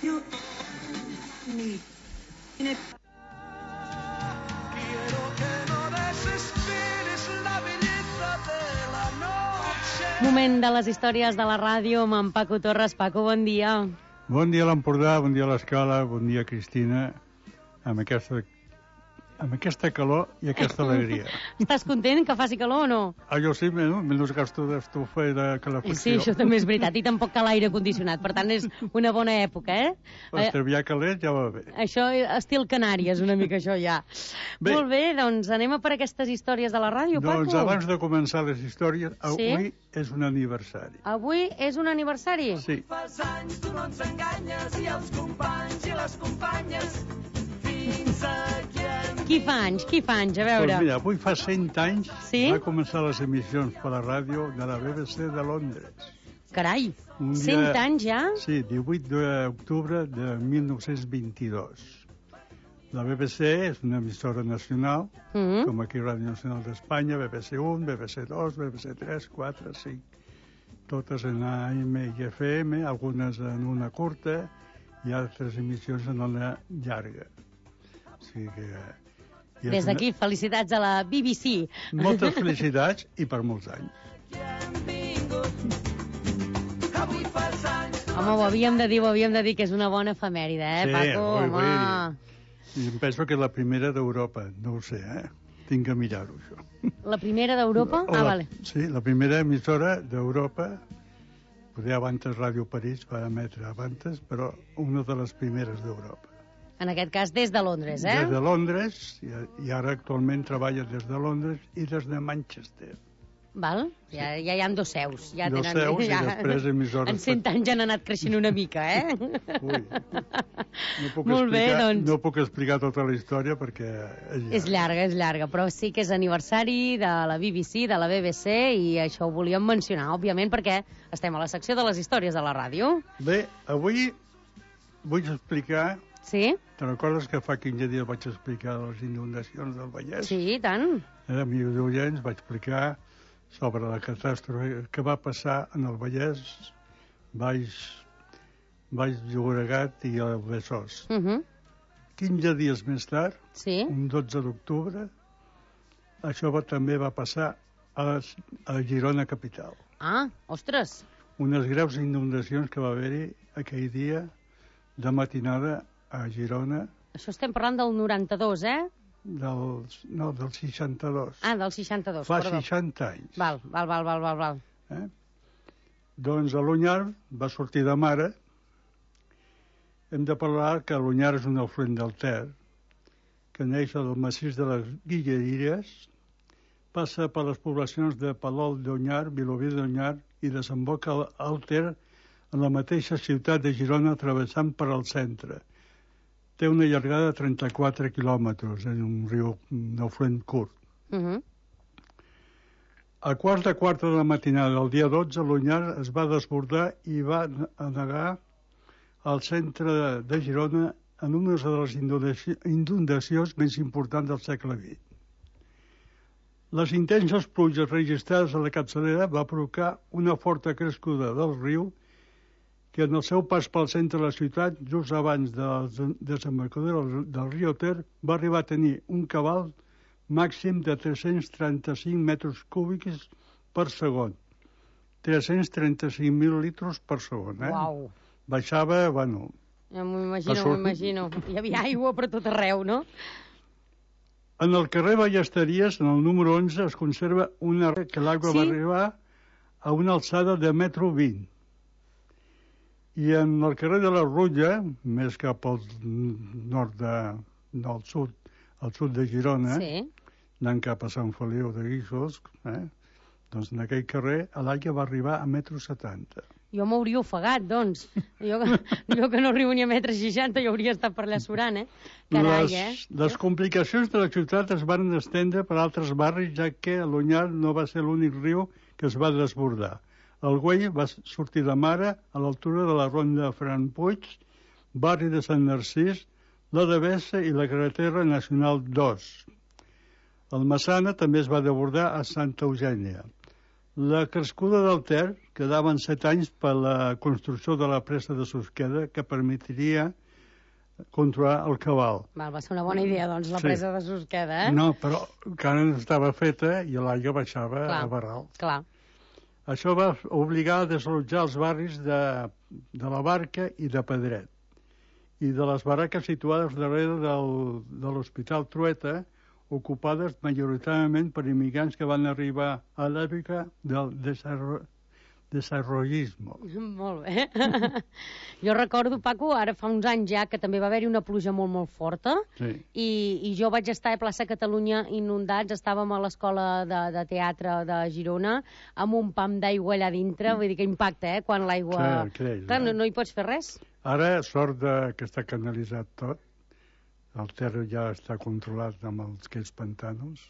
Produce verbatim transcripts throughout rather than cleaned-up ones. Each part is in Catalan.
Moment de les històries de la ràdio amb en Paco Torres. Paco, bon dia. Bon dia a l'Empordà, bon dia a l'Escala, bon dia Cristina, amb aquesta, amb aquesta calor i aquesta alegria. Estàs content que faci calor o no? Ah, jo sí, menys gasto d'estufa i de calefacció. Sí, això també és veritat, i tampoc cal aire condicionat, per tant és una bona època, eh? L'estraviar calent ja va bé. Això, estil Canàries, una mica això ja. Bé. Molt bé, doncs anem a per aquestes històries de la ràdio, Paco. Doncs abans de començar les històries, avui sí? és un aniversari. Avui és un aniversari? Sí. Fas anys, tu no ens enganyes, i els companys i les companyes, fins aquí hem... Qui fa anys? Qui fa anys? A veure. Doncs mira, avui fa cent anys sí? va començar les emissions per la ràdio de la B B C de Londres. Carai, dia, cent anys ja? Sí, divuit d'octubre de mil nou-cents vint-i-dos. La B B C és una emissora nacional, mm -hmm. com aquí Ràdio Nacional d'Espanya, B B C un, B B C dos, B B C tres, quatre, cinc, totes en A M i F M, algunes en una curta i altres emissions en una llarga. O sigui que... Des d'aquí, una... felicitats a la B B C. Moltes felicitats i per molts anys. Home, ho havíem de dir, ho havíem de dir, que és una bona efemèride, eh, sí, Paco? Ui, home. I em penso que és la primera d'Europa, no ho sé, eh? Tinc que mirar-ho, això. La primera d'Europa? Ah, la, vale. Sí, la primera emissora d'Europa, poder abans Ràdio París va emetre abans, però una de les primeres d'Europa. En aquest cas des de Londres, eh? Des de Londres, i, i ara actualment treballa des de Londres i des de Manchester. Val? Ja, ja hi ha dos seus. Ja dos tenen, seus ja, i després emissores... En cent anys ja han anat creixent una mica, eh? Ui, no puc, Molt bé, explicar, doncs... no puc explicar tota la història perquè és llarga. És llarga, és llarga, però sí que és aniversari de la B B C, de la B B C, i això ho volíem mencionar, òbviament, perquè estem a la secció de les històries de la ràdio. Bé, avui vull explicar... Sí? Te'n recordes que fa quinze dies vaig explicar les inundacions del Vallès? Sí, i tant. Eh, amics oients, vaig explicar sobre la catàstrofe que va passar en el Vallès, Baix, Baix Llobregat i el Besòs. Uh -huh. quinze dies més tard, sí? un dotze d'octubre, això va, també va passar a, a Girona capital. Ah, ostres! Unes greus inundacions que va haver-hi aquell dia de matinada a Girona. Això estem parlant del noranta-dos, eh? Del, no, del seixanta-dos. Ah, del seixanta-dos, Fa perdó. seixanta anys. Val, val, val, val, val. val. Eh? Doncs a l'Onyar va sortir de mare. Hem de parlar que l'Onyar és un afluent del Ter, que neix del massís de les Guilleries, passa per les poblacions de Palol d'Onyar, Vilobí d'Onyar i desemboca al Ter en la mateixa ciutat de Girona, travessant per al centre. Té una llargada de trenta-quatre quilòmetres, és un riu, un afluent curt. Uh -huh. A quarts de quarta de la matinada del dia dotze, l'Onyar es va desbordar i va anegar al centre de, de Girona en una de les inundacions, inundacions més importants del segle vint. Les intenses pluges registrades a la capçalera va provocar una forta crescuda del riu que en el seu pas pel centre de la ciutat, just abans de la desembocadura del, del riu Ter, va arribar a tenir un cabal màxim de tres-cents trenta-cinc metres cúbics per segon. tres-cents trenta-cinc mil litres per segon, eh? Uau! Baixava, bueno... Ja m'ho imagino, m'ho imagino. Hi havia aigua per tot arreu, no? En el carrer Ballesteries, en el número onze, es conserva una que l'aigua sí? va arribar a una alçada de metro vint. I en el carrer de la Rutlla, més cap al nord de, del sud, al sud de Girona, sí? anant cap a Sant Feliu de Guíxols, eh? doncs en aquell carrer l'aigua va arribar a metro setanta. Jo m'hauria ofegat, doncs. Jo que, jo que no arribo ni a metre seixanta, jo hauria estat per allà surant, eh? Carai, les, eh? Les complicacions de la ciutat es van estendre per altres barris, ja que l'Onyar no va ser l'únic riu que es va desbordar. El Güell va sortir de mare a l'altura de la ronda de Fran Puig, barri de Sant Narcís, la Devesa i la carretera nacional dos. El Massana també es va desbordar a Santa Eugènia. La crescuda del Ter quedaven set anys per la construcció de la presa de Susqueda, que permetria controlar el cabal. Val, va ser una bona idea, doncs, la Sí. presa de Susqueda, eh? No, però encara no estava feta i l'aigua baixava Clar. a barral. Clar. Això va obligar a desallotjar els barris de, de la Barca i de Pedret, i de les barraques situades darrere del, de l'Hospital Trueta, ocupades majoritàriament per immigrants que van arribar a l'època del desarro... desarrollisme. Molt bé. Jo recordo, Paco, ara fa uns anys ja que també va haver-hi una pluja molt, molt forta, Sí. i, i jo vaig estar a plaça Catalunya inundats, estàvem a l'escola de, de teatre de Girona, amb un pam d'aigua allà dintre, vull dir que impacta, eh, quan l'aigua... Clar, creix, Clar, no, eh? no hi pots fer res. Ara, sort de que està canalitzat tot, el terra ja està controlat amb els, aquells pantanos,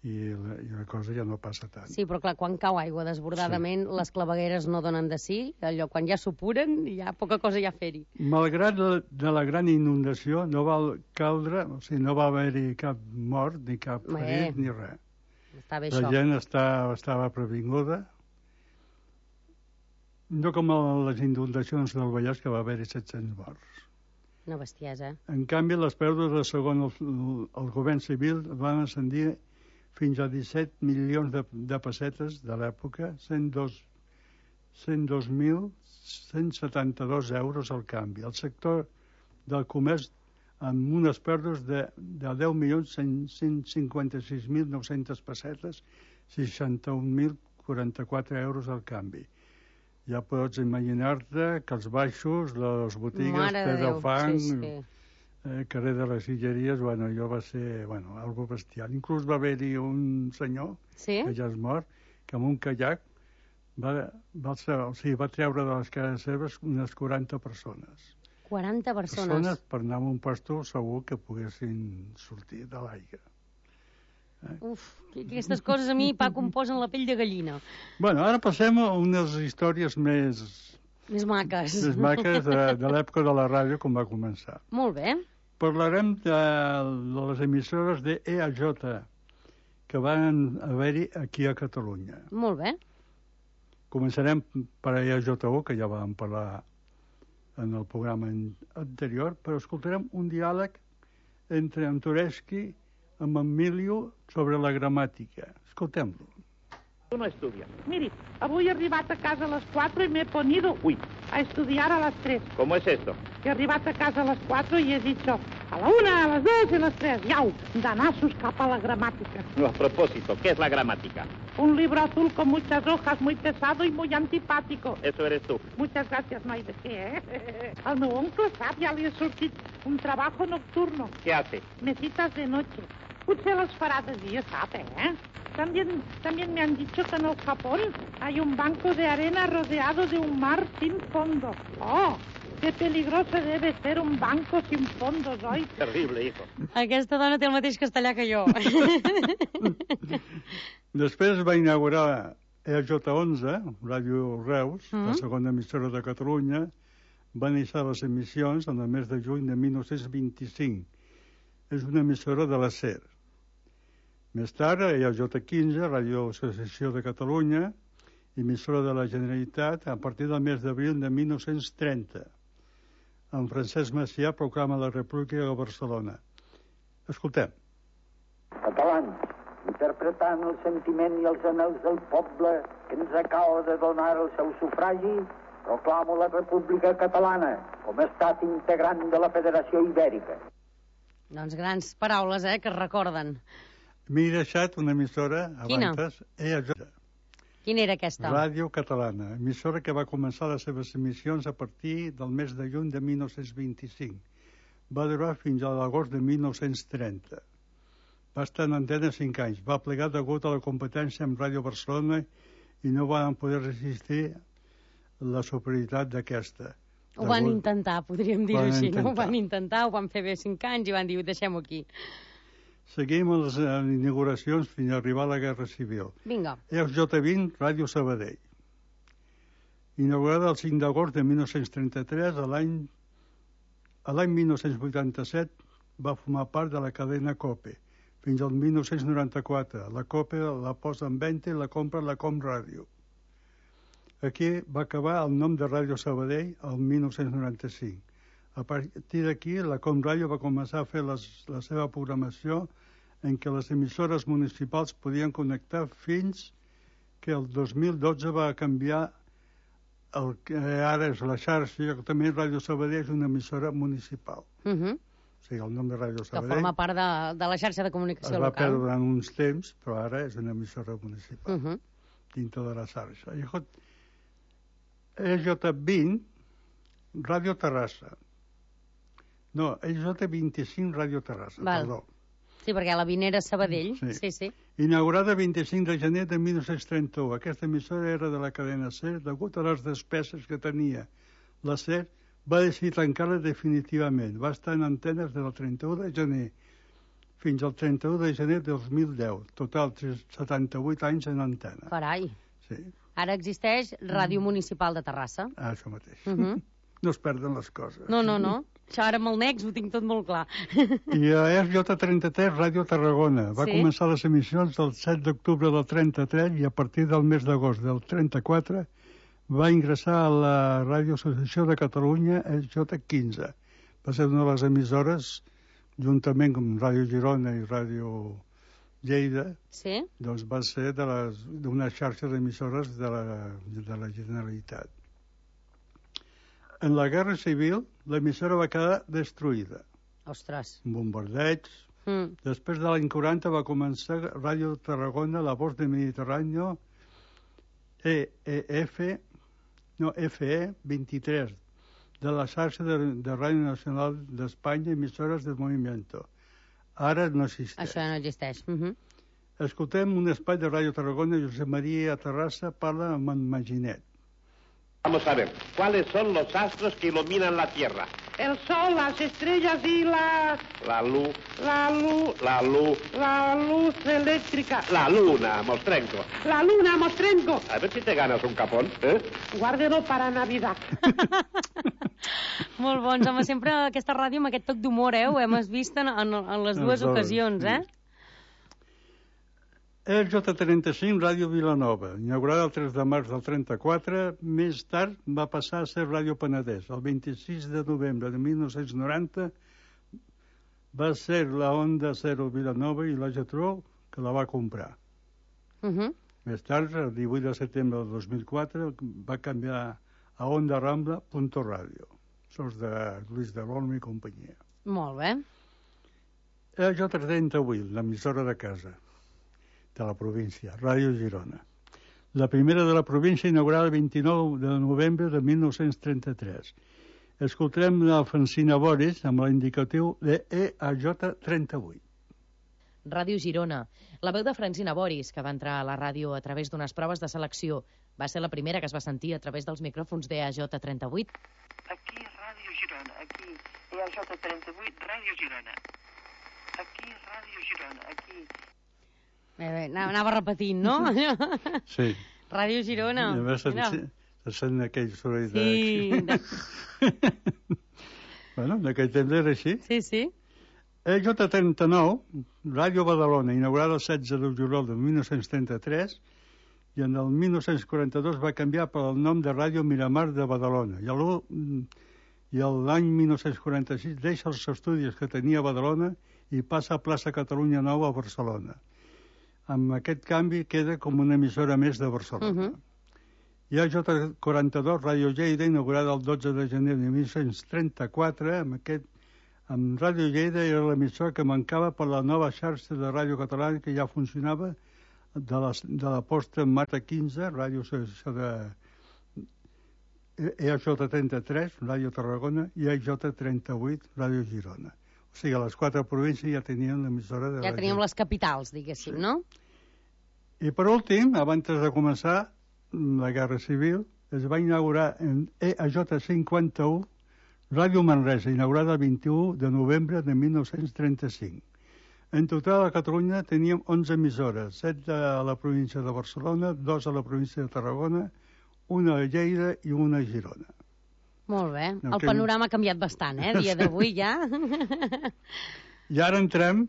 i la, i la cosa ja no passa tant. Sí, però clar, quan cau aigua desbordadament, sí. Les clavegueres no donen de sí, allò, quan ja s'apuren, ja poca cosa hi ha a fer-hi. Malgrat la, de la gran inundació, no va caldre, o sigui, no va haver-hi cap mort, ni cap Bé. ferit, ni res. Està bé La això. gent està, estava previnguda. No com a les inundacions del Vallès, que va haver-hi set-cents morts. Una bestiesa, eh? En canvi, les pèrdues, de segons el, el govern civil, van ascendir fins a disset milions de, de pessetes de l'època, cent dos mil cent setanta-dos euros al canvi. El sector del comerç, amb unes pèrdues de, de deu milions cent cinquanta-sis mil nou-centes pessetes, seixanta-un mil quaranta-quatre euros al canvi. Ja pots imaginar-te que els baixos, les botigues, Mare de Pedro Déu, Fang, sí, sí. eh, carrer de les Silleries, bueno, allò va ser, bueno, algo bestial. Inclús va haver-hi un senyor, Sí? que ja és mort, que amb un kayak va, va, o sigui, va treure de les cases seves unes quaranta persones. quaranta persones. Persones per anar a un pastor segur que poguessin sortir de l'aigua. Uf, que- que aquestes coses a mi, Paco, em posen la pell de gallina. Bueno, ara passem a unes històries més, Més maques. més maques de, de l'època de la ràdio, com va començar. Molt bé. Parlarem de, de les emissores de E A J que van haver-hi aquí a Catalunya. Molt bé. Començarem per E A J u, que ja vam parlar en el programa anterior, però escoltarem un diàleg entre Antoreschi amb Emilio sobre la gramàtica. Escoltem-lo. No estudia. Mire, avui he arribat a casa a las cuatro y me he ponido, uy, a estudiar a las tres. ¿Cómo es esto? He arribat a casa a las cuatro y he dicho a la una, a las dos y a las tres. Yau, danazos capa la gramática. No, a propósito, ¿qué es la gramática? Un libro azul con muchas hojas, muy pesado y muy antipático. Eso eres tú. Muchas gracias, no hay de qué, ¿eh? Al meu oncle, sap, ja li ha sortit un trabajo nocturno. ¿Qué hace? Mesitas de noche. Potser les farà de dia, sap, eh? También, también me han dicho que en el Japón hay un banco de arena rodeado de un mar sin fondo. ¡Oh! ¡Qué peligroso debe ser un banco sin fondos, oi? Terrible, hijo. Aquesta dona té el mateix castellà que jo. Després va inaugurar E A J onze, Ràdio Reus, Mm. la segona emissora de Catalunya. Va iniciar les emissions en el mes de juny de mil nou-cents vint-i-cinc. És una emissora de la SER. Més tard, E A J quinze, Ràdio Associació de Catalunya, emissora de la Generalitat, a partir del mes d'abril de mil nou-cents trenta. En Francesc Macià proclama la República de Barcelona. Escoltem. Catalans, interpretant el sentiment i els anhels del poble que ens acaba de donar el seu sufragi, proclamo la República Catalana com a estat integrant de la Federació Ibèrica. Doncs grans paraules, eh, que es recorden. M'he deixat una emissora Quina? abans, E A J, Quina era aquesta? Ràdio Catalana, emissora que va començar les seves emissions a partir del mes de juny de mil nou-cents vint-i-cinc. Va durar fins a l'agost de mil nou-cents trenta. Va estar en antena cinc anys. Va plegar degut a la competència amb Ràdio Barcelona i no van poder resistir la superioritat d'aquesta. Ho van Degut- intentar, podríem dir-ho Van així, no? Ho intentar. van intentar, ho van fer bé cinc anys i van dir, deixem-ho aquí. Seguim les eh, inauguracions fins a arribar a la Guerra Civil. Vinga. E J vint, Ràdio Sabadell. Inaugurada el cinc d'agost de mil nou-cents trenta-tres, a l'any a l'any mil nou-cents vuitanta-set va formar part de la cadena COPE, fins al mil nou-cents noranta-quatre. La còpia la posa en venda i la compra la Com Ràdio. Aquí va acabar el nom de Ràdio Sabadell el mil nou-cents noranta-cinc. A partir d'aquí, la Com Ràdio va començar a fer les, la seva programació en què les emissores municipals podien connectar fins que el dos mil dotze va canviar el que ara és la xarxa, que també Ràdio Sabadell és una emissora municipal. Uh -huh. O sigui, el nom de Ràdio Sabadell... Que forma part de, de la xarxa de comunicació local. Es va local. perdre durant uns temps, però ara és una emissora municipal, Uh -huh. dintre de la xarxa. I E J vint, Ràdio Terrassa. No, E J vint-i-cinc, Ràdio Terrassa, Val. perdó. Sí, perquè la vint era Sabadell. Sí. Sí, sí. Inaugurada vint-i-cinc de gener de mil nou-cents trenta-u. Aquesta emissora era de la cadena SER. Degut a les despeses que tenia la SER, va decidir tancar-la definitivament. Va estar en antenes del trenta-u de gener fins al trenta-u de gener de dos mil deu. Total, setanta-vuit anys en antena. Carai. Sí. Ara existeix Ràdio Municipal de Terrassa. Ah, això mateix. Uh -huh. No es perden les coses. No, no, no. Això ara amb el Nex ho tinc tot molt clar. I a R J trenta-tres, Ràdio Tarragona. Va Sí? començar les emissions el set d'octubre del trenta-tres i a partir del mes d'agost del trenta-quatre va ingressar a la Ràdio Associació de Catalunya, R J quinze. Va ser una de les emissores, juntament amb Ràdio Girona i Ràdio Lleida, Sí? doncs va ser de les- d'una xarxa d'emissores de la, de la Generalitat. En la Guerra Civil, l'emissora va quedar destruïda. Ostres. Bombardeigs. Mm. Després de l'any quaranta va començar Ràdio Tarragona, La Voz de Mediterráneo, E E F, no, F E vint-i-tres, de la xarxa de, de Ràdio Nacional d'Espanya, emissores del Movimiento. Ara no existeix. Això no existeix. Uh -huh. Escoltem un espai de Ràdio Tarragona, Josep Maria Terrassa parla amb en Maginet. Vamos a ver, ¿cuáles son los astros que iluminan la Tierra? El sol, las estrellas y la... La luz, la luz... la luz, la luz eléctrica. la luna, Mostrenco. La luna, Mostrenco. A ver si te ganas un capón, ¿eh? Guárdelo para Navidad. Molt bons. Home, sempre aquesta ràdio amb aquest toc d'humor, eh? Ho hem vist en, en, en les dues Els dos, ocasions, sí. eh? R J trenta-cinc, Ràdio Vilanova, inaugurada el tres de març del trenta-quatre, més tard va passar a ser Ràdio Penedès. El vint-i-sis de novembre de mil nou-cents noranta va ser la Onda Zero Vilanova i la Getró que la va comprar. Uh -huh. Més tard, el divuit de setembre del dos mil quatre, va canviar a Onda Rambla, Punto Ràdio. Això és de Lluís de l'Olmo i companyia. Molt bé. R J trenta-vuit, l'emissora de casa de la província, Ràdio Girona. La primera de la província, inaugurada el vint-i-nou de novembre de mil nou-cents trenta-tres. Escoltarem la Francina Boris amb l'indicatiu de E A J trenta-vuit. Ràdio Girona. La veu de Francina Boris, que va entrar a la ràdio a través d'unes proves de selecció. Va ser la primera que es va sentir a través dels micròfons d'E A J trenta-vuit. Aquí Ràdio Girona, aquí E A J trenta-vuit, Ràdio Girona. Aquí Ràdio Girona, aquí... Bé, bé, anava repetint, no? Sí. Ràdio Girona. I a més Mira. se, se sent aquell soroll Sí. de... De... bueno, en aquell temps era així. Sí, sí. E J trenta-nou, Ràdio Badalona, inaugurada el setze de juliol de mil nou-cents trenta-tres, i en el mil nou-cents quaranta-dos va canviar pel nom de Ràdio Miramar de Badalona. I a i l'any mil nou-cents quaranta-sis deixa els estudis que tenia a Badalona i passa a Plaça Catalunya Nova a Barcelona. Amb aquest canvi queda com una emissora més de Barcelona. Uh -huh. I a J quaranta-dos, Ràdio Lleida, inaugurada el dotze de gener de mil nou-cents trenta-quatre, amb aquest amb Ràdio Lleida era l'emissora que mancava per la nova xarxa de ràdio catalana que ja funcionava de la, de la posta en Mata quinze, Ràdio Associació de E A J trenta-tres, Ràdio Tarragona, i E A J trenta-vuit, Ràdio Girona. O sigui, a les quatre províncies ja tenien l'emissora de Ja ràdio. teníem les capitals, diguéssim, Sí. no? I per últim, abans de començar la Guerra Civil, es va inaugurar en E A J cinquanta-u Ràdio Manresa, inaugurada el vint-i-u de novembre de mil nou-cents trenta-cinc. En total a Catalunya teníem onze emissores, set a la província de Barcelona, dos a la província de Tarragona, una a Lleida i una a Girona. Molt bé. No, El que- panorama ha canviat bastant, eh? A dia d'avui ja. I ara entrem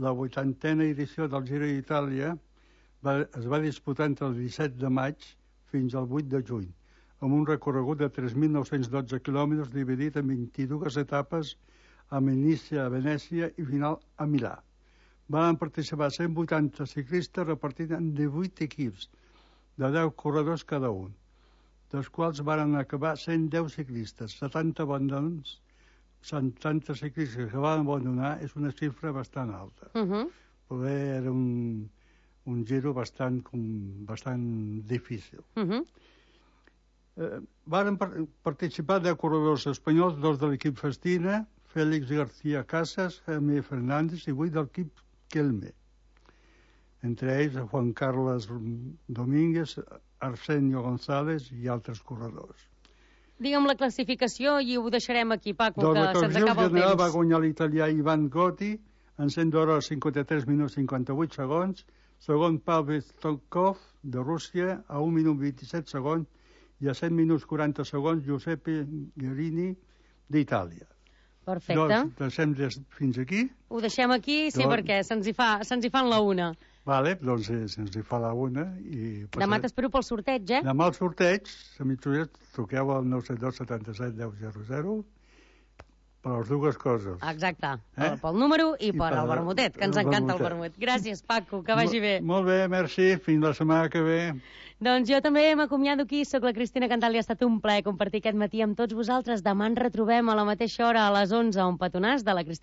La vuitantena edició del Giro d'Itàlia va, es va disputar entre el disset de maig fins al vuit de juny, amb un recorregut de tres mil nou-cents dotze quilòmetres dividit en vint-i-dues etapes amb inici a Venècia i final a Milà. Van participar cent vuitanta ciclistes repartits en divuit equips, de deu corredors cada un, dels quals van acabar cent deu ciclistes, setanta abandons, setanta ciclistes que van abandonar, és una xifra bastant alta. Uh-huh. Poder era un, un giro bastant, com, bastant difícil. Uh-huh. Eh, van par participar deu corredors espanyols, dos de l'equip Festina, Félix García Casas, Jaime Fernández i vuit de l'equip Kelme. Entre ells Juan Carlos Domínguez, Arsenio González i altres corredors. Digue'm la classificació i ho deixarem aquí, Paco, doncs que se'ns acaba el general temps. Va guanyar l'italià Ivan Gotti en cent hores cinquanta-tres minuts cinquanta-vuit segons, segon Pavel Stonkov de Rússia a un minut vint-i-set segons i a set minuts quaranta segons Giuseppe Guerini d'Itàlia. Perfecte. Doncs deixem des, fins aquí. Ho deixem aquí, sí, doncs... perquè se'ns hi, fa, se'ns hi fan la una. Vale, doncs eh, se'ns hi fa la una. I passaré... Demà t'espero pel sorteig, eh? Demà el sorteig, a mitjoreta, truqueu al nou set dos setanta-set deu zero zero per les dues coses. Exacte, eh? pel número i, I per el per vermutet, que ens el encanta vermutet. el vermut. Gràcies, Paco, que vagi bé. Molt bé, merci, fins la setmana que ve. Doncs jo també m'acomiado aquí, soc la Cristina Cantal i ha estat un plaer compartir aquest matí amb tots vosaltres. Demà ens retrobem a la mateixa hora, a les onze, a un petonàs de la Cristina